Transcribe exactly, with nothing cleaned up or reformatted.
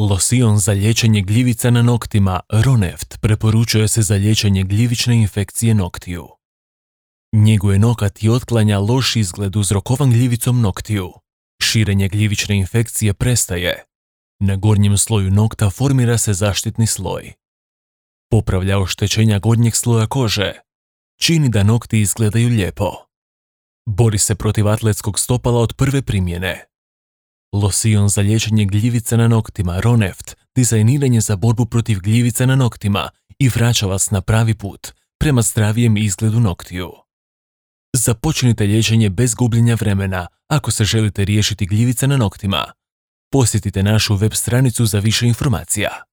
Losion za liječenje gljivica na noktima Roneft preporučuje se za liječenje gljivične infekcije noktiju. Njeguje nokat i otklanja loš izgled uzrokovan gljivicom noktiju. Širenje gljivične infekcije prestaje. Na gornjem sloju nokta formira se zaštitni sloj. Popravlja oštećenja gornjeg sloja kože. Čini da nokti izgledaju lijepo. Bori se protiv atletskog stopala od prve primjene. Losion za liječenje gljivica na noktima Roneft dizajniran je za borbu protiv gljivica na noktima i vraća vas na pravi put prema zdravijem izgledu noktiju. Započnite liječenje bez gubljenja vremena ako se želite riješiti gljivica na noktima. Posjetite našu web stranicu za više informacija.